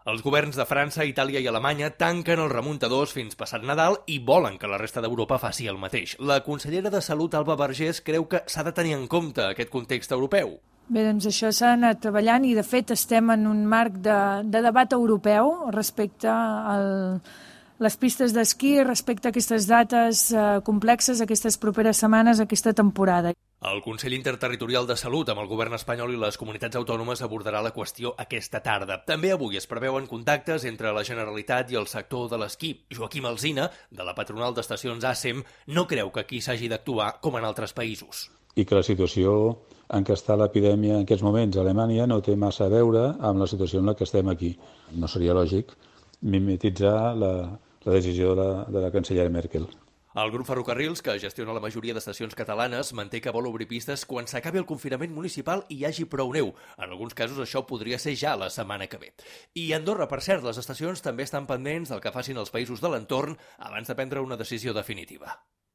Els governs de França, Itàlia i Alemanya tanquen els remuntadors fins passat Nadal i volen que la resta d'Europa faci el mateix. La consellera de Salut, Alba Vergés, creu que s'ha de tenir en compte aquest context europeu. Bé, doncs això s'ha anat treballant i, de fet, estem en un marc de debat europeu respecte a les pistes d'esquí, respecte a aquestes dates complexes, aquestes properes setmanes, aquesta temporada. El Consell Interterritorial de Salut amb el govern espanyol i les comunitats autònomes abordarà la qüestió aquesta tarda. També avui es preveuen contactes entre la Generalitat i el sector de l'esquí. Joaquim Alsina, de la patronal d'estacions ASEM, no creu que aquí s'hagi d'actuar com en altres països. I que la situació en què està l'epidèmia en aquests moments a Alemanya no té massa a veure amb la situació en la que estem aquí. No seria lògic mimetitzar la decisió de la cancellera Merkel. El grup Ferrocarrils, que gestiona la majoria d'estacions catalanes, manté que vol obrir pistes quan s'acabi el confinament municipal i hi hagi prou neu. En alguns casos això podria ser ja la setmana que ve. I a Andorra, per cert, les estacions també estan pendents del que facin els països de l'entorn abans de prendre una decisió definitiva.